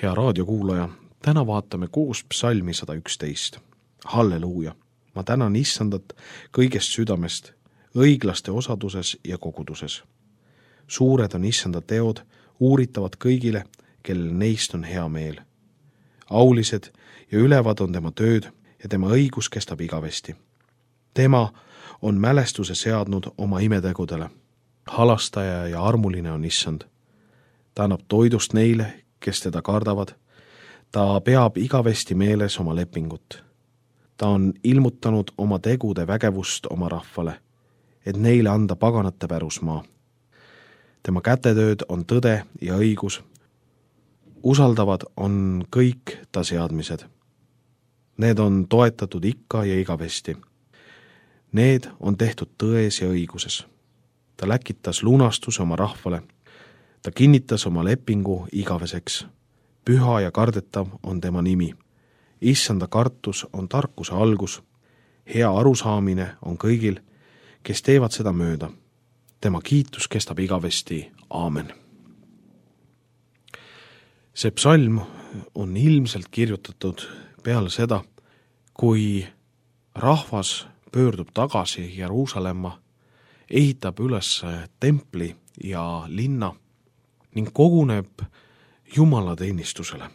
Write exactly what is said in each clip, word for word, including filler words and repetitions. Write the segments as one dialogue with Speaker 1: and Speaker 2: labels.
Speaker 1: Hea raadiokuulaja, täna vaatame koos psalmi sada üksteist. Halleluuja! Ma tänan Issandat kõigest südamest, õiglaste osaduses ja koguduses. Suured on Issanda teod, uuritavad kõigile, kellel neist on hea meel. Aulised ja ülevad on tema tööd ja tema õigus kestab igavesti. Tema on mälestuse seadnud oma imetegudele. Halastaja ja armuline on Issand. Ta annab toidust neile, kes teda kardavad. Ta peab igavesti meeles oma lepingut. Ta on ilmutanud oma tegude vägevust oma rahvale, et neile anda paganate pärusmaa. Tema kätetööd on tõde ja õigus. Usaldavad on kõik ta seadmised. Need on toetatud ikka ja igavesti. Need on tehtud tões ja õiguses. Ta läkitas lunastuse oma rahvale. Ta kinnitas oma lepingu igaveseks. Püha ja kardetav on tema nimi. Issanda kartus on tarkuse algus. Hea arusaamine on kõigil, kes teevad seda mööda. Tema kiitus kestab igavesti. Aamen. See psalm on ilmselt kirjutatud peale seda, kui rahvas pöördub tagasi Jeruusalemma, ehitab üles templi ja linna ning koguneb Jumala teenistusele.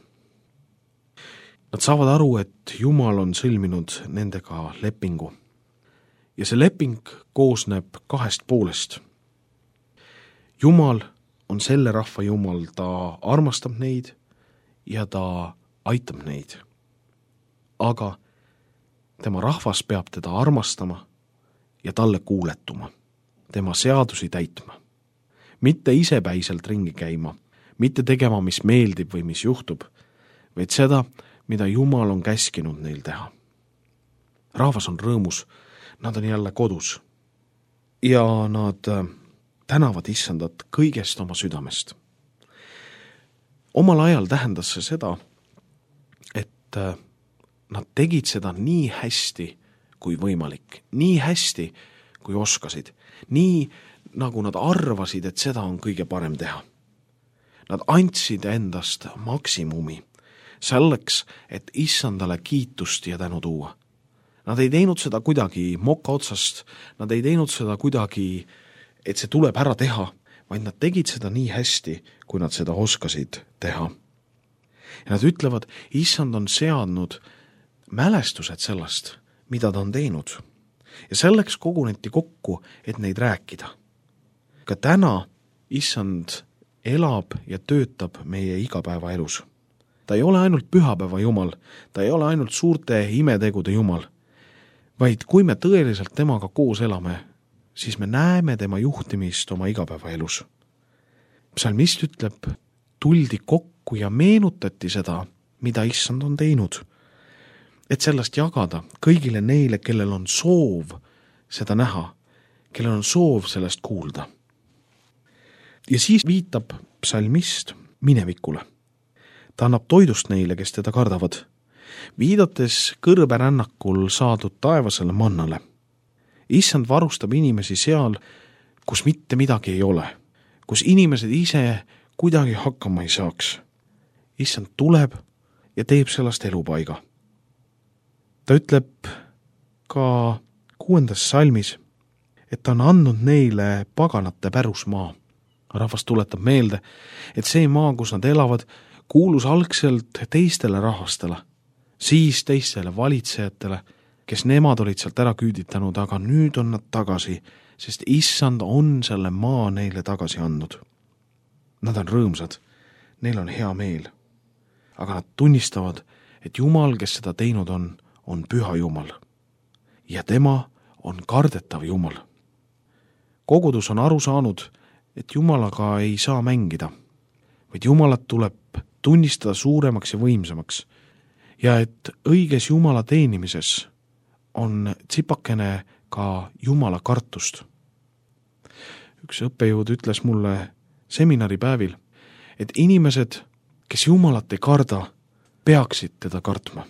Speaker 1: Nad saavad aru, et Jumal on sõlminud nendega lepingu. Ja see leping koosneb kahest poolest. Jumal on selle rahva Jumal, ta armastab neid ja ta aitab neid. Aga tema rahvas peab teda armastama ja talle kuuletuma, tema seadusi täitma. Mitte isepäiselt ringi käima, mitte tegema, mis meeldib või mis juhtub, vaid seda, mida Jumal on käskinud neil teha. Rahvas on rõõmus, nad on jälle kodus ja nad tänavad Issandat kõigest oma südamest. Omal ajal tähendas see seda, et nad tegid seda nii hästi kui võimalik, nii hästi kui oskasid, nii nagu nad arvasid, et seda on kõige parem teha. Nad andsid endast maksimumi selleks, et Issandale kiitust ja tänu tuua. Nad ei teinud seda kuidagi moka otsast, nad ei teinud seda kuidagi, et see tuleb ära teha, vaid nad tegid seda nii hästi, kui nad seda oskasid teha. Ja nad ütlevad, Issand on seadnud mälestused sellest, mida ta on teinud. Ja selleks koguneti kokku, et neid rääkida. Ka täna Issand elab ja töötab meie igapäeva elus. Ta ei ole ainult pühapäeva Jumal, ta ei ole ainult suurte imetegude Jumal, vaid kui me tõeliselt temaga koos elame, siis me näeme tema juhtimist oma igapäeva elus. Psalmist ütleb, tuldi kokku ja meenutati seda, mida Issand on teinud, et sellest jagada kõigile neile, kellel on soov seda näha, kellel on soov sellest kuulda. Ja siis viitab psalmist minevikule. Ta annab toidust neile, kes teda kardavad, viidates kõrberännakul saadud taevasele mannale. Issand varustab inimesi seal, kus mitte midagi ei ole, kus inimesed ise kuidagi hakkama ei saaks. Issand tuleb ja teeb sellest elupaiga. Ta ütleb ka kuuendas salmis, et ta on andnud neile paganate pärusmaa. Rahvas tuletab meelde, et see maa, kus nad elavad, kuulus algselt teistele rahvastele, siis teistele valitsejatele, kes nemad olid sealt ära küüditanud, aga nüüd on nad tagasi, sest Issand on selle maa neile tagasi andnud. Nad on rõõmsad, neil on hea meel, aga nad tunnistavad, et Jumal, kes seda teinud on, on püha Jumal ja tema on kardetav Jumal. Kogudus on aru saanud, et Jumalaga ei saa mängida, vaid Jumalat tuleb tunnistada suuremaks ja võimsamaks ja et õiges Jumala teenimises on tsipakene ka Jumala kartust. Üks õppejõud ütles mulle seminaripäevil, et inimesed, kes Jumalat ei karda, peaksid teda kartma.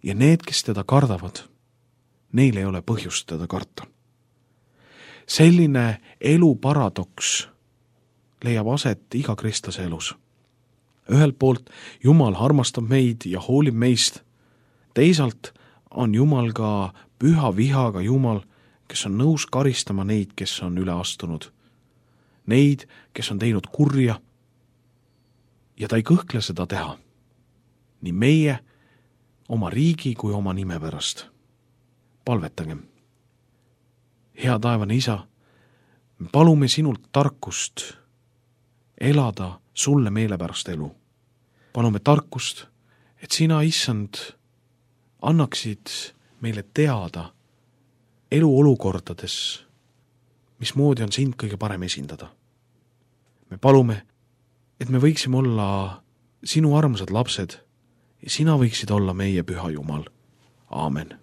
Speaker 1: Ja need, kes teda kardavad, neil ei ole põhjust teda karta. Selline elu paradoks leiab aset iga kristlase elus. ühelt poolt Jumal armastab meid ja hoolib meist, teisalt on Jumal ka püha vihaga Jumal, kes on nõus karistama neid, kes on üle astunud. Neid, kes on teinud kurja, ja ta ei kõhkle seda teha. Nii meie, oma riigi kui oma nime pärast. Palvetagem. Hea taevane Isa, me palume sinult tarkust elada sulle meelepärast elu. Palume tarkust, et sina, Issand, annaksid meile teada elu olukordades, mismoodi on sind kõige parem esindada. Me palume, et me võiksime olla sinu armsad lapsed ja sina võiksid olla meie püha Jumal. Aamen.